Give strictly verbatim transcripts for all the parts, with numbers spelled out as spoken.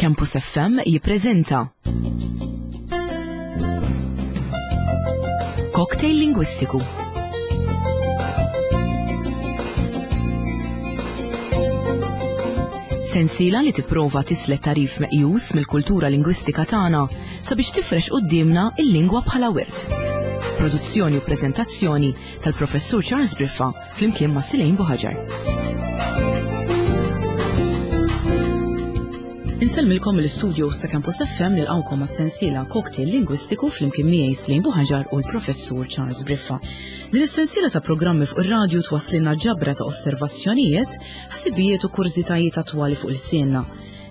Campus F M jippreżenta Cocktail Lingwistiku. Sensiela li tipprova tislet tarif meqjus mill-kultura lingwistika tagħna sabiex tifrex quddiemna il-lingwa bħala wirt. Produzzjoni u preżentazzjoni tal-Professur Charles Briffa flimkien ma' Silejn Buħaġar. Insellmilkom mill-istudio sa' Campus F M nilqgħukom għas-sensiela Cocktail Lingwistiku flimkien miegħi Silejn Buħaġar u l-Professur Charles Briffa. Din is-sensiela ta' programmi fuq ir-radju twasslilna ġabra ta' osservazzjonijiet, ħsibijiet u kurżitajiet attwali fuq il-sienna.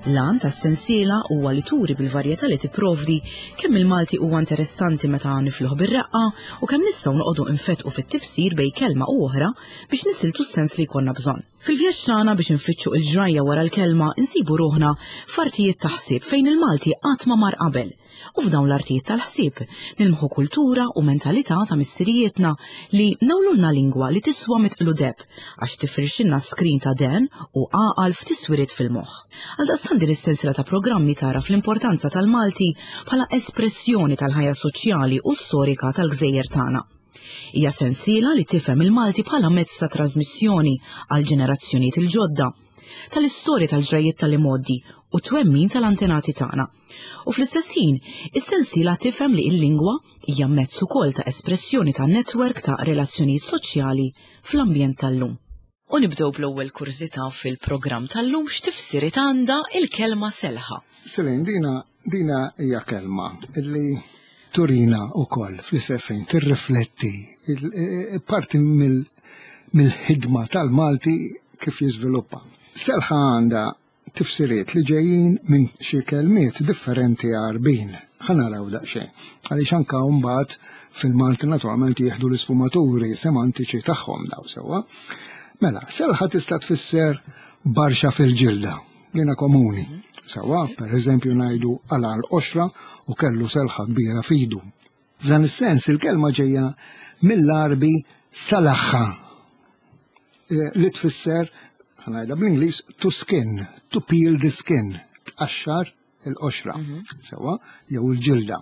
L-għan tas-sensiela huwa li turi bil-varjetà li tipprovdi kemm il-Malti huwa interessanti meta nifluh bir-reqqa u kemm nistgħu noqogħdu nfetqu fit-tifsir bejn kelma u oħra biex nisiltu s-sens li jkollna bżonn. Fil-vjaġġ tagħna biex nfittxu il-ġrajja wara l-kelma insibu ruħna f'artijiet ta' ħsieb fejn il-Malti qatt ma mar qabel. U f'dawn l-artijiet tal-ħsieb nilmħu kultura u mentalità ta' missirijietna li nawlulna lingwa li tiswa mitqlu deb għax tifrixilna skrin ta' den u għaqal f'tiswiriet fil-moħħ. Għaldaqstant din is-sensiela ta' programmi tara fl-importanza tal-Malti bħala espressjoni tal-ħajja soċjali u storika tal-gżejjer tagħna. Hija sensiela li tifhem il-Malti bħala mezz ta' trasmissjoni għal ġenerazzjonijiet il-ġodda, tal-istorja tal-ġrajiet tal-imgħoddi u twemmin tal-antenati tagħna. U fl-istess ħin, is-sensiela tifhem li l-lingwa hija mezz ukoll ta' espressjoni ta' netwerk ta' relazzjonijiet soċjali fl-ambjent tal-lum. U nibdew bl-ewwel kurżità fil-programm tal-lum x'tifsiriet għandha il-kelma selħa. Selin, dina, dina hija kelma illi turina wkoll fl-istess ħin tirrifletti parti mill-ħidma tal-Malti kif jiżviluppa. Selħa għandha tifsiriet li ġejjin minn xi kelmiet differenti Għarbin. Ħa naraw daqsxejn. Għaliex anke mbagħad fil-Malti naturalment jieħdu l-isfumaturi semantiċi tagħhom daw sewwa. Mela, selħa tista' tfisser barxa fil-ġilda, jiena komuni. Sewwa, pereżempju ngħidu għala l-qoxra u kellu selħa kbira fidu. F'dan is-sens il-kelma ġejja mill-Għarbi salaħħa, li tfisser, ħanajda bl-Ingliż, to skin, to peel the skin, tqaxxar il-qoxra, sewwa, jew il-ġilda.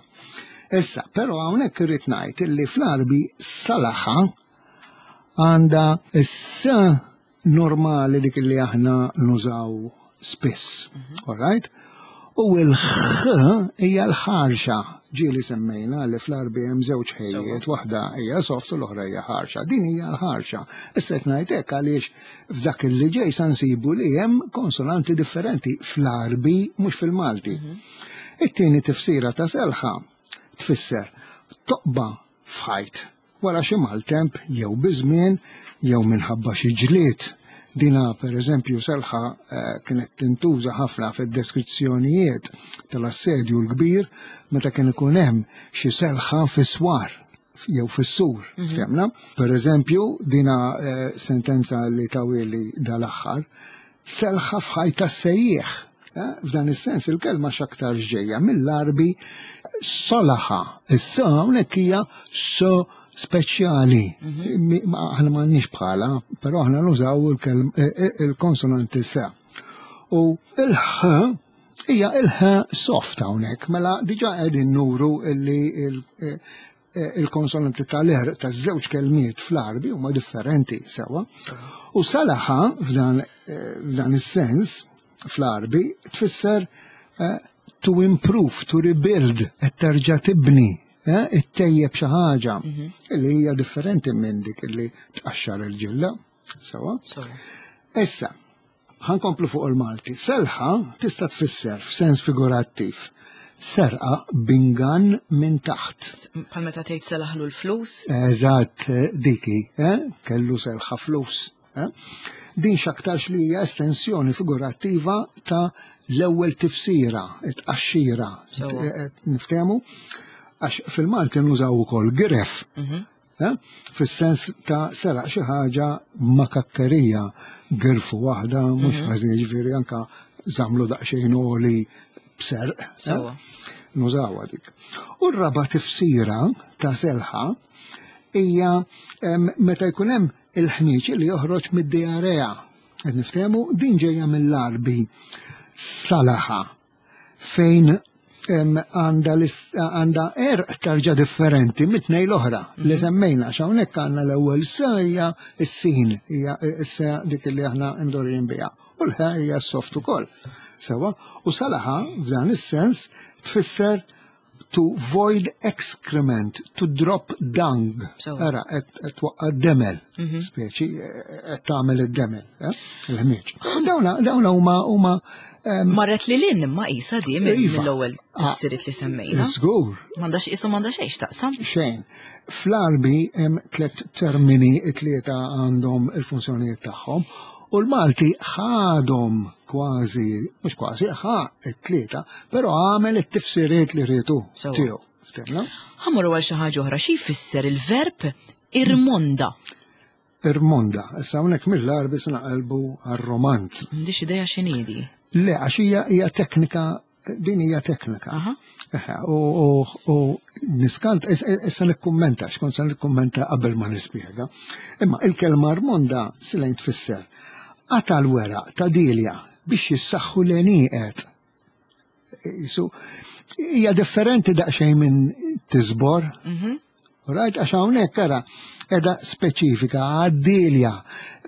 Issa, però hawnhekk irrid ngħid illi fl-Għarbi salaħħa għandha issa normali dik li aħna nużaw spiss, all right? U l-ħ hija l-ħarxa, ġieli semmejna li fl-Għarbi hemm żewġ ħejjiet, waħda hija soft u l-oħra hija ħarxa. Din hija l-ħarxa. Issa qed ngħid hekk għaliex f'dak li ġej sa nsibu li hemm konsonanti differenti fl-Għarbi mhux fil-Malti. It-tieni tifsira ta' selħa tfisser toqba f'ħajt wara xi maltemp jew biżmien jew minħabba xi ġlied. Dina per eżempju selħa kienet tintuża ħafna fid-deskrizzjonijiet tal-assedju l-kbir meta kien ikun hemm xi selħa fis-swar jew fis-sur, fehmna? Per eżempju, dina sentenza li tawili dal-aħħar, selħa f'ħajt tas-sejjieħ. F'dan is-sens il-kelma x'aktar ġejja mill-Għarbi solaħa. Issa hawnhekk hija so speċjali. Aħna m'għandniex bħala, però aħna nużaw il-konsonanti sa. U il-ħ hija il-ħ soft hawnhekk, mela diġà qegħdin nuru li il-konsonanti tal-er taż-żewġ kelmiet fl-Għarbi huma differenti sewwa. U salaħa f'dan is-sens fl-Għarbi tfisser to improve, to rebuild, qed terġa' tibni. Ittejjeb xi ħaġa li hija differenti minn dik li tqaxxar il-ġilda. Sewwa? Issa, ħankomplu fuq il-Malti. Selħa tista' tfisser f'sens figurattiv serqa bingan minn taħt. Bħal meta tgħid selaħlu l-flus? Eżatt, diki, kellu selħa flus. Din x'aktarx li hija estensjoni figurattiva ta' l-ewwel tifsira, it-tqaxxira. Niftehmu? Għax fil-Malti nużaw ukoll gref, fis-sens ta' seraq xi ħaġa makakkerija, girfu waħda, mhux ħażin, jiġifieri anka żamlu daqsxejn għoli b'serq. Nużawha dik. U r-raba' tifsira ta' selħa hija meta jkun hemm il-ħnieġ li joħroġ mid-diarrea. Qed niftehmu din ġejja mill-Għarbi salaħa. fejn għanda għanda erq tarġa differenti mit-tnejn l-oħra li semmejna, hawnhekk għandna l-ewwel sa hija s-sin, hija issa dik li aħna mdorin biha. U l-ħa hija s-soft ukoll. Sewa, u salaħa f'dan is-sens tfisser to void excrement, to drop dung. Ara, qed twaqqa' demel, speċi qed tagħmel id-demel, il-ħmieġ. Dawna dawna huma huma Marret li lin imma isa di mill-ewwel tifsiriet li semmejna. Żgur. M'għandax qisu m'għandha xejn x'taqsam. Xejn. Fl-Għarbi hemm tliet termini, tlieta għandhom il-funzjonijiet tagħhom, u l-Malti ħadhom kważi, mhux kważi, ħa t-tlieta, però għamel it-tifsiriet li rietu tiegħu. Ftemna? Ħa mmorru għal xi ħaġa oħra, xi jfisser il-verb irmonda? Irmonda. Issa hawnhekk mill-Għarbi se naqelbu għar-romanz. M'għandix idea x'inhi di. Le, għax hija hija teknika, din hija teknika. U u niskant, issa nikkummenta, xkont se nikkummenta qabel ma nispjega. Imma il-kelma rmonda silejn tfisser qata l-weraq ta' dilja biex jissaħħu l-għenieqed. Isu, hija differenti daqsxejn minn tisbor. Right, għax hawnhekk ara qiegħda speċifika għad-dilja,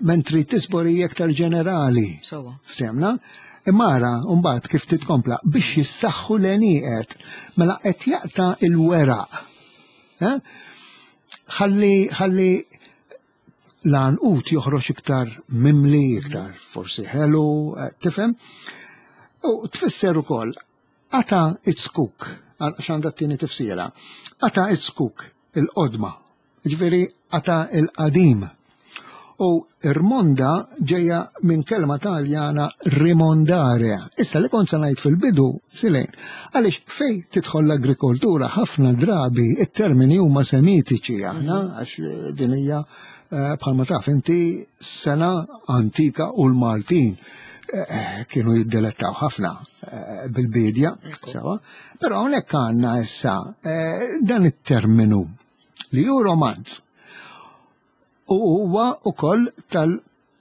mentri tisbor hija aktar ġenerali. Sewwa. Ftemna? Imma ara, mbagħad kif titkompla biex jissaħħu l-għenieqed, mela qed jaqta' il-weraq. Ħalli ħalli l-għanqut joħroġ iktar mimli, iktar forsi ħelu, tifhem? U tfisser ukoll qata it-skuk, għax għandha t-tieni tifsira. Qata it-skuk, il-qodma, ġifieri qata il-qadim. U irmonda ġeja minn kelma Taljana rimondare. Issa li kont se ngħid fil-bidu, Silejn, għaliex fej tidħol l-agrikoltura ħafna drabi it-termini huma semitiċi aħna, għax din hija bħalma taf inti sena antika u l-Maltin kienu jiddelettaw ħafna bil-bidja, sewa. Però hawnhekk għandna issa dan it-terminu li hu romanz. U huwa ukoll tal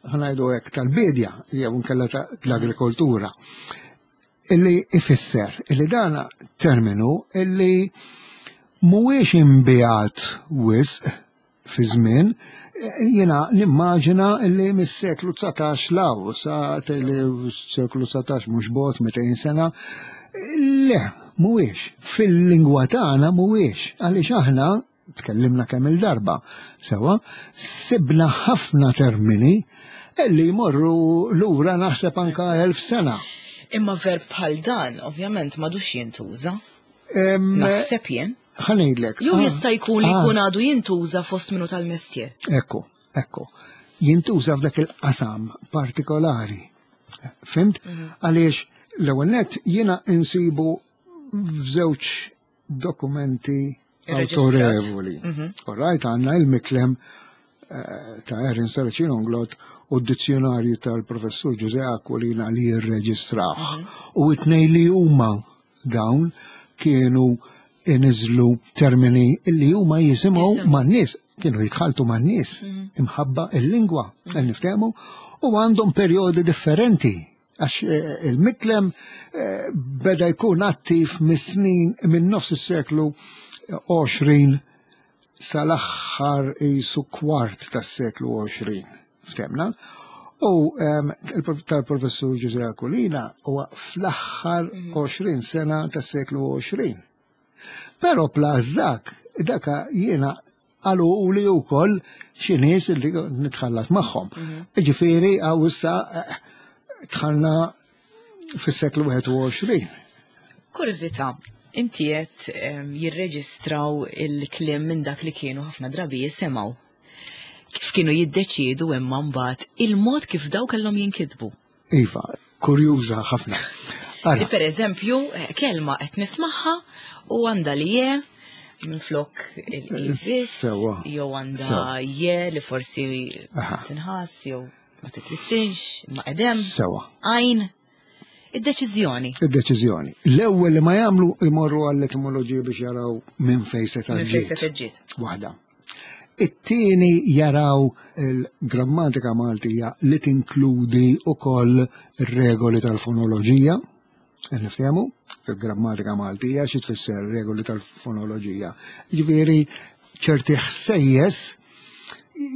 ħanajdu hekk tal-bidja jew inkella tal-agrikoltura illi ifisser illi dana terminu illi mhuwiex imbijat wisq fi żmien, jiena nimmaġina illi mis-seklu dsatax law sa seklu dsatax mhux bot mitejn sena, le mhuwiex fil-lingwa tagħna mhuwiex għaliex aħna tkellimna kemm il-darba, sewa, sibna ħafna termini illi jmorru lura naħseb anka elf sena. Imma verb bħal dan, ovvjament, m'għadux jintuża. Naħseb jien. Ħa ngħidlek. Jew jista' jkun li jkun għadu jintuża fost minnu tal-mestier. Ekku, ekku. Jintuża f'dak il-qasam partikolari. Fimt? Għaliex l-ewwel nett jiena insibu f'żewġ dokumenti autorevoli. All right, għandna il-miklem ta' Erin Saracino Unglot u d-dizzjonarju tal-professur Ġużè Aquilina li jirreġistraw. U it-tnejn li huma dawn kienu iniżlu termini li huma jisimgħu man-nies, kienu jitħaltu man-nies imħabba il-lingwa, niftehmu, u għandhom perjodi differenti. Għax il-miklem beda jkun attiv mis-snin minn nofs is-seklu għoxrin sal-aħħar isu kwart tas-seklu għoxrin, ftemna. U tal-professur Ġużè Aquilina huwa fl-aħħar għoxrin sena tas-seklu għoxrin. Però plus dak, daka jiena għalu u li wkoll xi nies li nitħallat magħhom. Ġifieri għaw issa dħalna fis-seklu wieħed u għoxrin. Kurżità, inti qed jirreġistraw il-kliem minn dak li kienu ħafna drabi jisimgħu. Kif kienu jiddeċiedu imma mbagħad il-mod kif daw kellhom jinkitbu? Iva, kurjuża ħafna. Li per eżempju, kelma qed nismagħha u għandha li je minn flok il-ibis, jew għandha je li forsi tinħass jew ma titlissinx, ma qedem. Sewa. Għajn. Id-deċiżjoni. Id-deċiżjoni. L-ewwel li ma jagħmlu imorru għall-etimoloġija biex jaraw minn fejn se Minn fejn se ġiet. Waħda. It-tieni jaraw il-grammatika Maltija li tinkludi wkoll ir-regoli tal-fonoloġija, niftehmu, Fil-grammatika Maltija xi tfisser regoli tal-fonoloġija. Ġifieri ċerti ħsejjes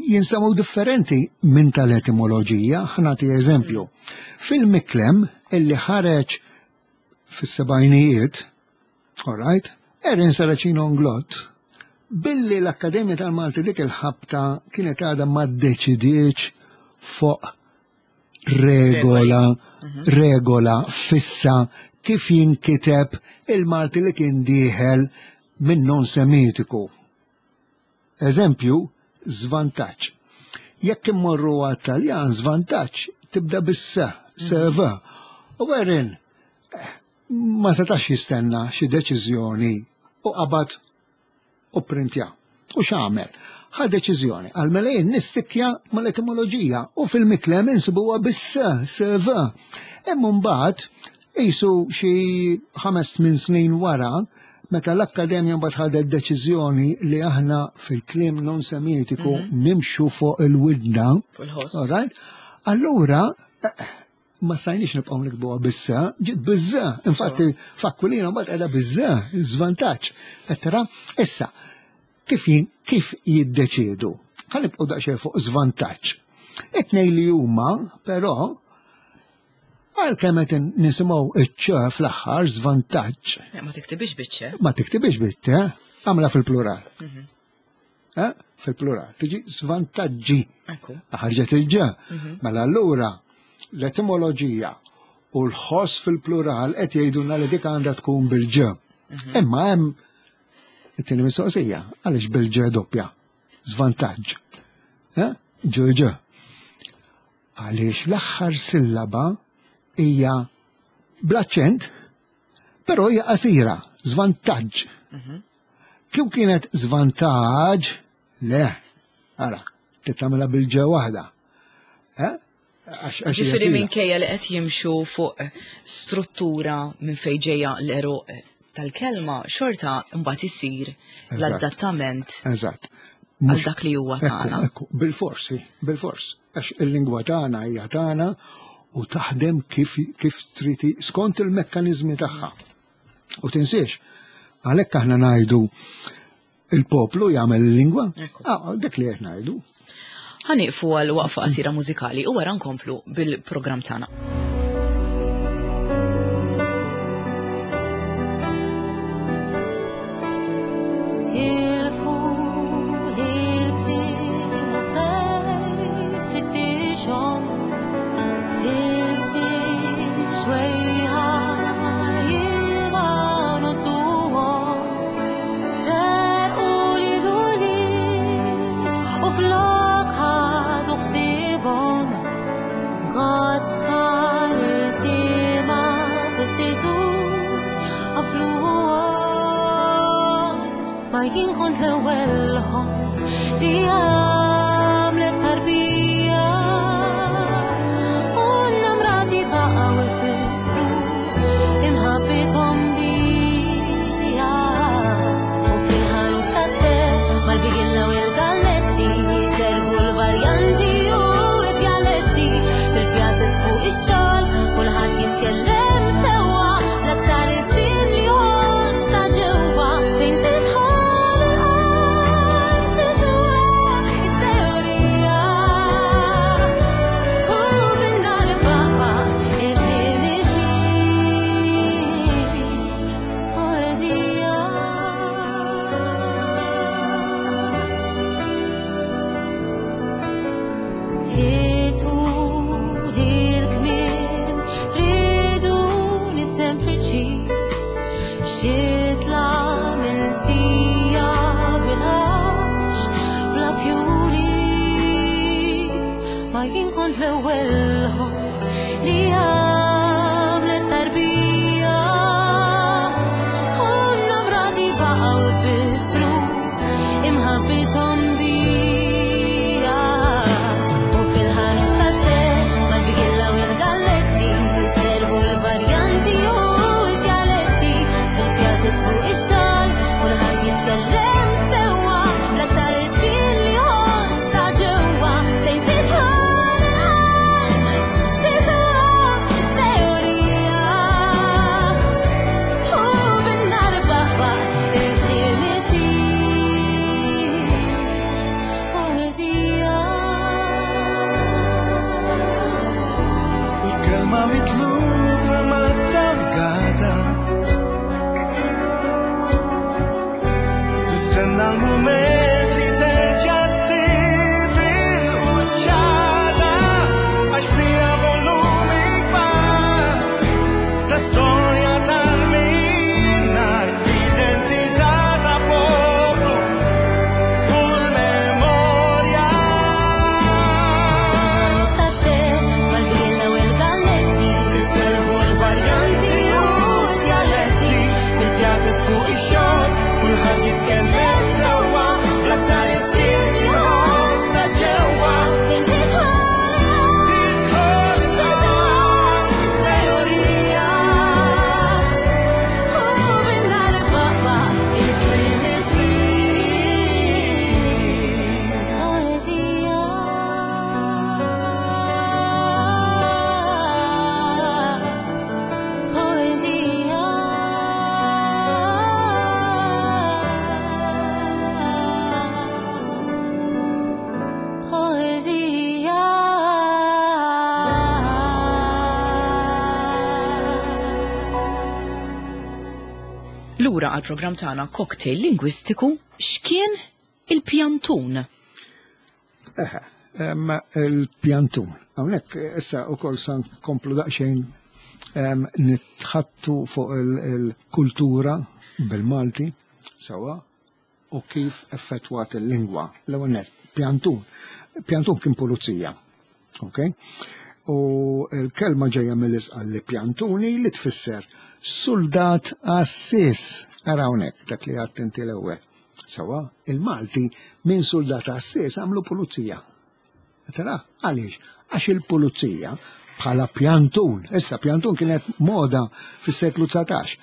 jinsamu differenti minn tal-etimoloġija. Ħa nagħti eżempju. Fil-Miklem illi ħareġ fis-sebgħinijiet, all right, Erin Saracino Inglott, billi l-Akkademja tal-Malti dik il-ħabta kienet għadha ma ddeċidietx fuq regola, regola fissa kif jinkiteb il-Malti li kien dieħel minn non-semitiku. Eżempju, żvantaġġ. Jekk immorru għat-Taljan, żvantaġġ tibda bis-s, serva. U Erin ma setax jistenna xi deċiżjoni u qabad u printja. U x'għamel? Ħa deċiżjoni. Għal mela jien nistikja mal-etimoloġija u fil-Miklem insibuha bis-s, serva. Imma mbagħad qisu xi ħames tmien snin wara, meta l-Akkademja mbagħad ħadet deċiżjoni li aħna fil-kliem non semitiku nimxu fuq il-widna. Fuq il-ħoss. All right? Allura, eh, ma stajniex nibqgħu nikbuha bis-s, ġiet biż-ż. Infatti, f'Aquilina mbagħad qiegħda biż-ż, żvantaġġ. Qed tara? Issa, kif jin- kif jiddeċiedu? Ħa nibqgħu daqsxejn fuq żvantaġġ. It-tnejn li huma, però, għalkemm qed nisimgħu iċ-ċ fl-aħħar żvantaġġ. Eh, Ma tiktibix biċ-ċ. Ma tiktibix bit-t, għamla fil-plural. Eh? Fil-plural. Tiġi żvantaġġi. Ekku. Ħarġet il-ġ. Mela allura l-etimoloġija u l-ħoss fil-plural qed jgħidulna li dik għandha tkun bil-ġ. Imma hemm it-tieni mistoqsija, għaliex bil-ġ doppja? Żvantaġġ. Eh? Ġ ġ. Għaliex l-aħħar sillaba hija bl-aċċent, però hija qasira, żvantaġġ. Kif kienet żvantaġġ? Le, ara, tittamela bil-ġ waħda. Eh? Għax- għax hija Ġifieri twila. minkejja li qed jimxu fuq struttura minn fejn ġejja l-għeruq tal-kelma, xorta mbagħad isir Eżatt. l-adattament Eżatt. għal dak li huwa Ekku, tagħna. ekku, bil-forsi, bil-fors. Għax il-lingwa tagħna hija tagħna u taħdem kif kif triti skont il-mekkaniżmi tagħha. U tinsiex, għalhekk aħna ngħidu il-poplu jagħmel il-lingwa. Ekku. Ah, dik li qed ngħidu. Ħa nieqfu għal waqfa qasira mużikali u wara nkomplu bil-programm tagħna. Tilfu l-kliem u fejt fittixhom fil-sin xwejħa jilma nodduhom serqu li l-ulied u flok ħadu ħsiebhom Għad tfal il-tima f'istitut għafluhom. Ma jien kont l-ewwel ħoss li għamlet tarbija u n-namrati baqgħu jfissru imħabbithom bija. U fil-ħanut tat-te mal-bigilla u l-galletti servu l-varjanti u d-dialetti fil-pjazez fuq ix-xogħol kulħadd jitkellem sewwa l-aktar ilsien li ħoss ta' ġewwa fejn tidħol il-qalb tiswa it-teorija u bin-nar baqa' il-kliem isir poeżija. Itu l-kmiem riduni sempliċi xitla minsija bil-għax bla fjuri ma jien kont l-ewwel ħoss li għamlet tarbija u n-namrati baqgħu jfissru imħabbithom bija. U fil-ħanut tat-te mal-bigilla u l-galletti servu l-varjanti u d-dialetti fil-pjazez fuq ix-xogħol kulħadd jitkellem sewwa l-aktar ilsien li ħoss ta' ġewwa fejn tidħol il-qalb x'tiswa Lura għal-programm tagħna Cocktail Lingwistiku, x'kien il-pjantun? Eħe, em, il-pjantun. Hawnhekk issa wkoll sa nkomplu daqsxejn em, nitħattu fuq il- il-kultura bil-Malti, sewwa, u kif effettwat il-lingwa. L-ewwel nett, pjantun. Pjantun kien pulizija. Ok? U l-kelma ġejja mill-Isqalli pjantuni li tfisser soldat għassis. Ara hawnhekk dak li għedt inti l-ewwel. Sewwa, il-Malti minn soldat għassis għamlu pulizija. Tara, għaliex? Għax il-pulizija bħala pjantun, issa pjantun kienet moda fis-seklu dsatax.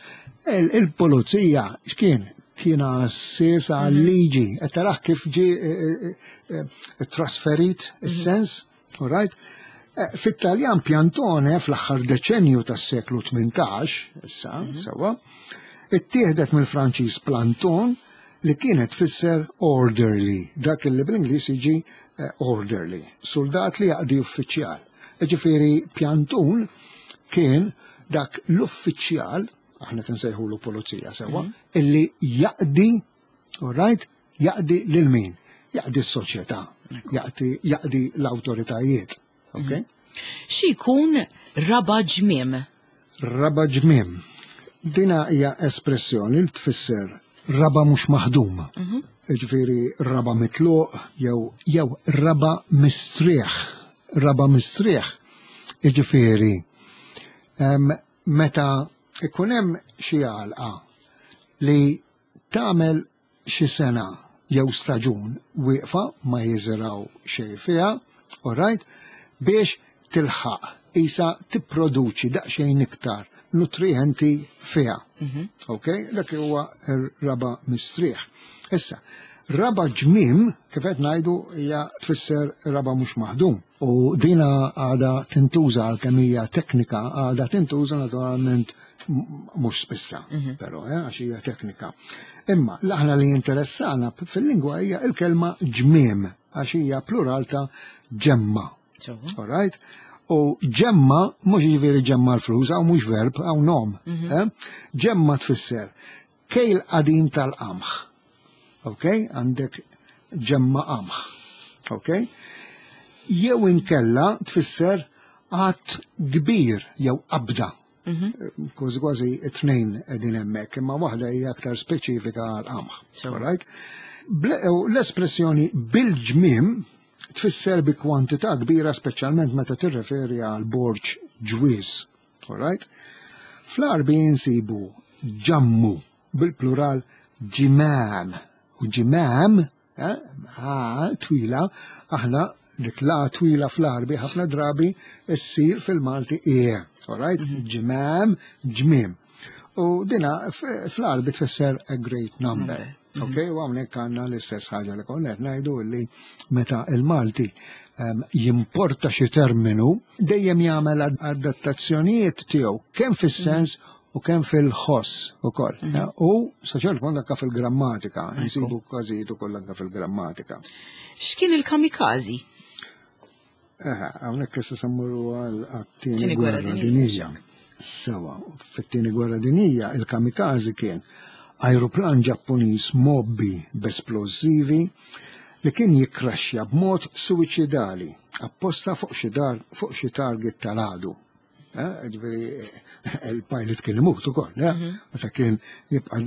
Il-pulizija x'kien? Kien għassis għal-liġi. Qed taraħ kif ġi eh, eh, eh, trasferit is-sens, all right? Eh, Fit-Taljan piantone fl-aħħar deċenju tas-seklu tmintax, issa, sewwa, ittieħdet mill-Franċiż planton li kienet tfisser orderly, dak li bl-Ingliż jiġi eh, orderly, soldat li jaqdi uffiċjal. Ġifieri pjantun kien dak l-uffiċjal, aħna nsejħulu pulizija sewwa, illi jaqdi, all right, jaqdi lil min? Jaqdi s-soċjetà, jaqdi, jaqdi l-awtoritajiet. Okay? Xi jkun raba ġmiem? Raba ġmiem. Dina hija espressjoni li tfisser raba mhux maħdum. Ġifieri raba mitluq jew jew raba mistrieħ. Raba mistrieħ. Ġifieri em, meta ikun hemm xi għalqa li tagħmel xi sena jew staġun wieqfa ma jiżraw xejn fiha, all right, biex tilħaq isa tipproduċi daqsxejn iktar nutrienti fiha. Ok, dak huwa r-raba mistrieħ. Issa, raba ġmiem, kif qed ngħidu, hija tfisser raba mhux maħdum. U dina għada tintuża għal kemm hija teknika, għada tintuża naturalment m- mhux spissa, però eh, għax hija teknika. Imma l-aħna li interessana fil-lingwa hija il-kelma ġmiem, għax hija plural ta' ġemma. All right? U ġemma, mhux ġifieri ġemma l-flus, għaw mhux verb, għaw nom. eh? Ġemma tfisser kejl qadim tal-qamħ. Ok? Għandek ġemma qamħ. Ok? Jew inkella tfisser għadd kbir jew qabda. Kważi kważi it-tnejn qegħdin hemmhekk, imma waħda hija aktar speċifika għal qamħ. Sew. All right? Ble- u L-espressjoni bil-ġmiem tfisser bi kwantità kbira speċjalment meta tirreferi għal borġ ġwiż. All right? Fl-Għarbi nsibu ġammu bil-plural ġimam. U ġimam, eh, a, twila, aħna dik la twila fl-Għarbi ħafna drabi ssir fil-Malti e. All right? Ġimam, ġmiem. U dina f- fl-Għarbi tfisser a great number. Ok, u hawnhekk għandna l-istess ħaġa li konna qed ngħidu li meta il-Malti em, jimporta xi terminu dejjem jagħmel ad- adattazzjonijiet tiegħu kemm fis-sens u kemm fil-ħoss ukoll. U sa ċertu punt anke fil-grammatika, nsibu każijiet ukoll anke fil-grammatika. X'kien il-kamikazi? Eħe, hawnhekk issa se mmorru għal Tieni tieni gwerra gwerra dinjija. dinjija. Sewwa, fit-tieni gwerra dinjija il-kamikazi kien ajruplan Ġappuniż mgħobbi b'esplosivi li kien jikkraxxja b'mod suwiċidali apposta fuq xi dar fuq xi target tal-għadu. Eh, Ġifieri il-pilot kien imut ukoll, eh? Meta kien jibqa'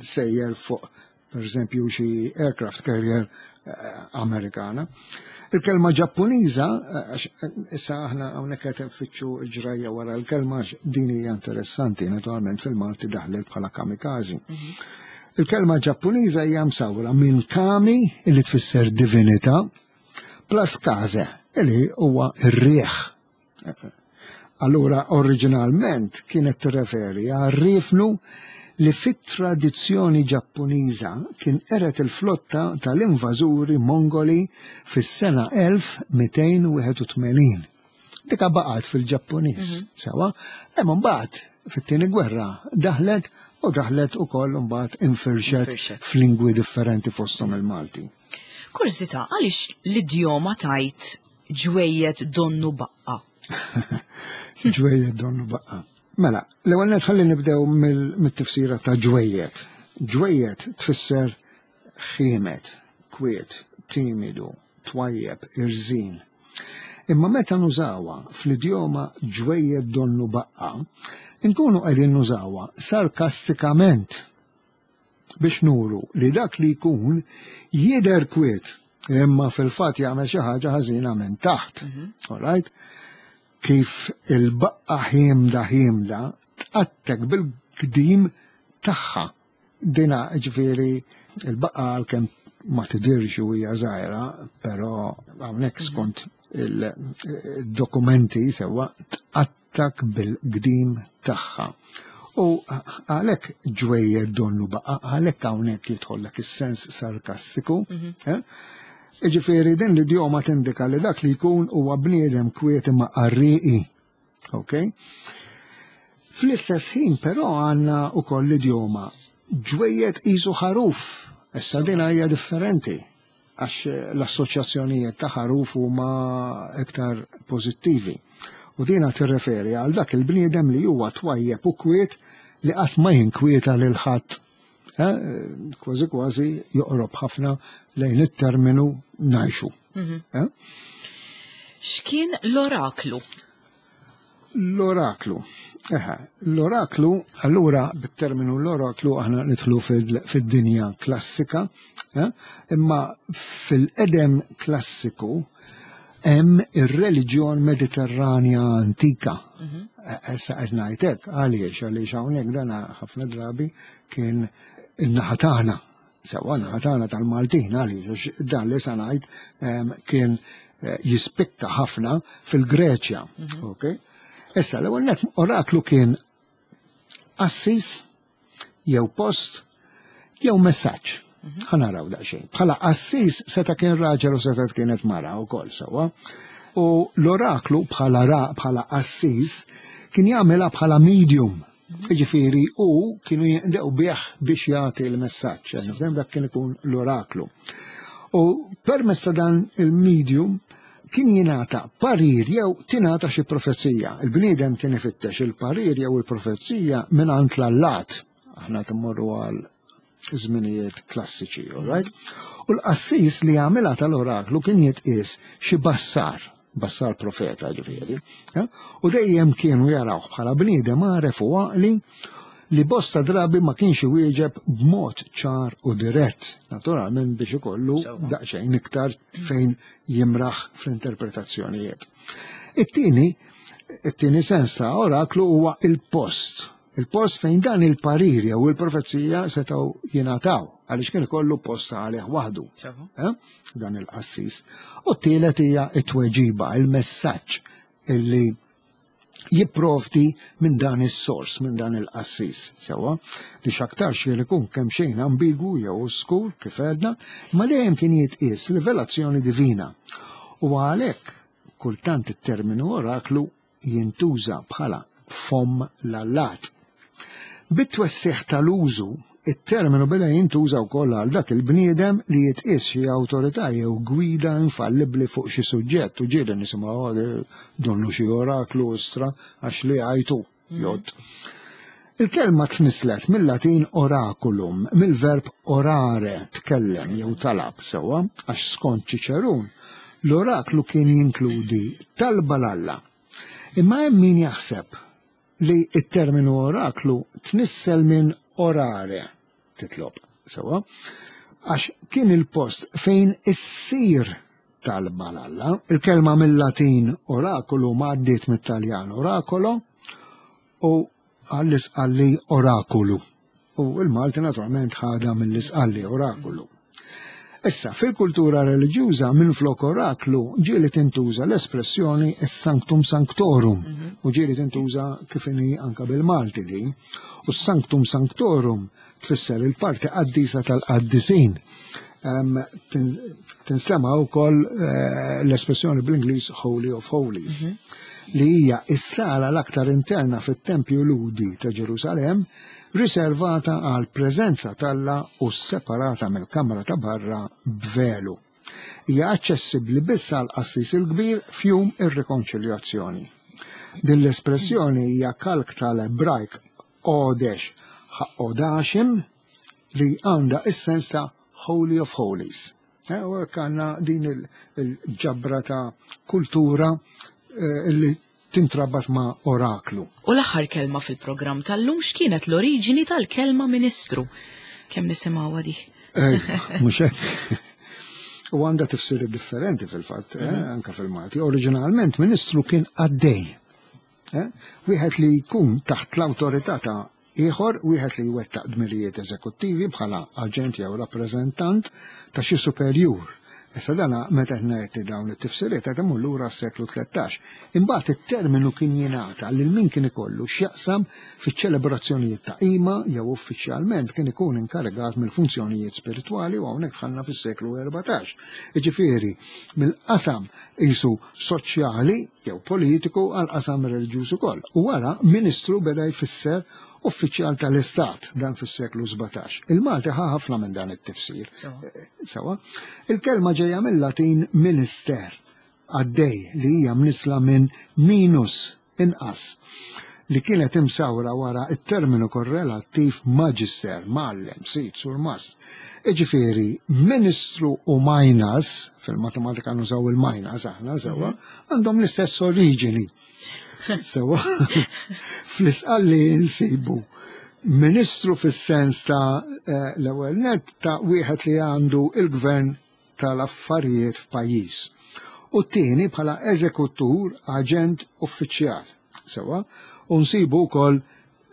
sejjer fuq per eżempju xi aircraft carrier eh, Amerikana. Il-kelma Ġappuniża, eh, għax, eh, issa aħna hawnhekk qed nfittxu l-ġrajja wara l-kelma għax din hija interessanti, naturalment fil-Malti daħlet bħala kamikazi. Il-kelma Ġappuniża hija msawra minn kami illi tfisser divinità plus kaze illi huwa r-rieħ. Allura oriġinalment kienet tirreferi għal riefnu li fit-tradizzjoni Ġappuniża kien qered il-flotta tal-invażuri Mongoli fis-sena elf mitejn u wieħed u tmenin. Dika baqgħet fil-Ġappuniż, sewwa, hemm mbagħad fit-tieni gwerra daħlet u daħlet ukoll mbagħad infirxet Infirxet. f'lingwi differenti fosthom il-Malti. Kurżità, għaliex l-idjoma tgħid ġwejjed donnu baqqa? Ġwejjed donnu baqqa. Mela, l-ewwel nett ħalli nibdew mit-tifsira ta' ġwejjed. Ġwejjed tfisser ħiemed, kwiet, timidu, twajjeb, irżin. Imma meta nużawha fl-idjoma ġwejjed donnu baqqa, inkunu qegħdin nużawha sarkastikament biex nuru li dak li jkun jidher kwiet, imma fil-fatt jagħmel xi ħaġa ħażina minn taħt. All right? Kif il-baqqa ħiemda ħiemda tqattek bil-qdim tagħha. Dina ġifieri il-baqqa għalkemm ma tidirx u hija żgħira, però hawnhekk skont il-dokumenti sewwa tqattak bil-qdim tagħha. U għalhekk ġwejjed donnu baqa, għalhekk hawnhekk jidħollek is-sens sarkastiku. eh? Ġifieri din l-idjoma tindika li dak li jkun huwa bniedem kwiet imma qarrieqi. Ok? Fl-istess ħin però għandna wkoll l-idjoma ġwejjed qisu ħaruf. Issa din hija differenti għax l-assoċjazzjonijiet ta' ħaruf huma iktar pożittivi. U dina tirreferi għal dak il-bniedem li huwa twajjeb u kwiet li qatt ma jinkwieta lil ħadd. Eh, Kważi kważi joqrob ħafna lejn it-terminu ngħixu. Eh? X'kien l-oraklu? L-oraklu. Eħe, l-oraklu, allura bit-terminu l-oraklu aħna nidħlu fil- fid-dinja klassika, eh? Imma fil-qedem klassiku hemm ir-reliġjon Mediterranja antika. Eh, Issa qed ngħidlek għaliex għaliex hawnhekk dana ħafna drabi kien in-naħa tagħna. Sewwa naħa tagħna tal-Maltin għaliex għax dan li sa ngħid em, kien eh, jispikka ħafna fil-Greċja. Okay? Issa l-ewwel nett oraklu kien qassis jew post jew messaġġ. Ħa naraw daqsxejn. Bħala qassis seta' kien raġel u seta' kienet mara wkoll sewwa. U l-oraklu bħala ra bħala qassis kien jagħmilha bħala medium. Ġifieri u kienu jinqdew bih biex jagħti l-messaġġ. Nifhem dak kien ikun l-oraklu. U permezz ta' dan il-medium kien jingħata parir jew tingħata xi profezija. Il-bniedem kien ifittex il-parir jew il-profezija minn għand l-allat. Aħna timmorru għal żminijiet klassiċi, all right? U l-qassis li għamilha tal-oraklu kien jitqies xi bassar, bassar profeta ġifieri, eh? U dejjem kienu jarawh bħala bniedem għaref u għaqli li bosta drabi ma kienx iwieġeb b'mod ċar u dirett, naturalment biex ikollu Sewwa. daqsxejn iktar fejn jimraħ fl-interpretazzjonijiet. It-tieni, it-tieni sens ta' oraklu huwa il-post. Il-post fejn dan il-parir jew il-profezija setgħu jingħataw, għaliex kien ikollu post għalih waħdu. Sewwa. Eh? Dan il-qassis. U t-tielet hija it-tweġiba, il-messaġġ illi jipprovdi minn dan is-sors, minn dan il-qassis, sewwa, li x'aktarx li jkun kemm xejn ambigu jew oskur kif għedna, ma dejjem kien jitqies rivelazzjoni divina. U għalhekk kultant it-terminu oraklu jintuża bħala fomm l-allat. Bit-twessiħ tal-użu, it-terminu beda jintuża wkoll għal dak il-bniedem li jitqies xi awtorità jew gwida infallibbli fuq xi suġġett u ġieli nisimgħu "Oh, donnu xi oraklu istra għax li għajtu jgħodd. Il-kelma tnislet mill-Latin oraculum, mill-verb orare, tkellem jew talab sewwa, għax skont Ċiċerun, l-oraklu kien jinkludi talba 'l Alla. Imma hemm min jaħseb li it-terminu oraklu tnissel minn orare, titlob, sewwa, għax kien il-post fejn issir talba 'l Alla. Il-kelma mill-Latin orakulu ma għaddiet mit-Taljan oracolo u għall-Isqalli orakulu. U il-Malti naturalment ħada mill-Isqalli orakulu. Issa, fil-kultura reliġjuża minn flok oraklu ġieli tintuża l-espressjoni sanctum sanctorum u ġieli tintuża kif inhi anka bil-Malti din. U sanctum sanctorum tfisser il-parti qaddisa tal-qaddisin. Em, tin- Tinstema' wkoll eh, l-espressjoni bl-Ingliż Holy of Holies, li hija is-sala l-aktar interna fit-Tempju Lhudi ta' Ġerusalem, riservata għal preżenza t'Alla u separata mill-kamra ta' barra b'velu. Hija aċċessibbli biss għal qassis il-kbir f'jum ir-rikonċiljazzjoni. Din l-espressjoni hija kalk tal-Ebrajk Odesh Ha'odashim li għandha is-sens ta' Holy of Holies. Eh, u hekk għandna din il-ġabra ta' kultura eh, li tintrabat ma' oraklu. U l-aħħar kelma fil-programm tal-lum, x'kienet l-oriġini tal-kelma ministru? Kemm nisimgħuha di? Mhux hekk. U għandha tifsiri differenti fil-fatt, eh, mhm. anka fil-Malti. Oriġinalment ministru kien qaddej. Eh? Wieħed li jkun taħt l-awtorità ta' ieħor, wieħed li jwettaq dmirijiet eżekuttivi bħala aġent jew rappreżentant ta' xi superjur. Issa dana meta ngħid dawn it-tifsiriet qed imur lura s-seklu tlettax. Imbagħad it-terminu kien jingħata lil min kien ikollu x'jaqsam fiċ-ċelebrazzjonijiet ta' qima jew uffiċjalment kien ikun inkarigat mill-funzjonijiet spiritwali, u hawnhekk dħalna fis-seklu erbatax. Jiġifieri mill-qasam isu soċjali jew politiku għal qasam reliġjuż ukoll. U wara ministru beda jfisser uffiċjal tal-Istat, dan fis-seklu sbatax. Il-Malti ħa ħafna minn dan it-tifsir. Sawa. Il-kelma ġejja mill-Latin minister, qaddej, li hija mnisla minn minus, inqas, li kienet imsawra wara it-terminu korrelattiv magister, mgħallem, sid, surmast. Iġifieri, ministru u minus, fil-matematika nużaw il-minus aħna, sewa, għandhom l-istess oriġini. Sewa, fl-Isqalli nsibu ministru fis-sens ta' eh, l-ewwel net ta' wieħed li għandu il-gvern tal-affarijiet f'pajjiż. U t-tieni bħala eżekutur, aġent uffiċjal. Sewa, u nsibu wkoll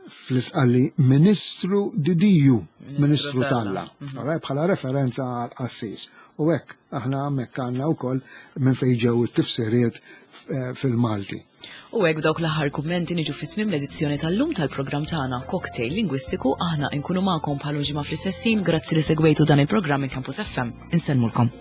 fl-Isqalli ministru didiju, ministru t'Alla, mhm. bħala referenza għal qassis. U hekk aħna hemmhekk għandna wkoll minn fejn ġew it-tifsiriet eh, fil-Malti. U hekk dawk l-aħħar kummenti niġu fi tmiem l-edizzjoni tal-lum tal-programm tagħna Cocktail Lingwistiku. Aħna nkunu magħkom bħal ġimgħa fl-istess ħin. Grazzi li segwejtu dan il-programm minn Campus F M. Insellmulkom.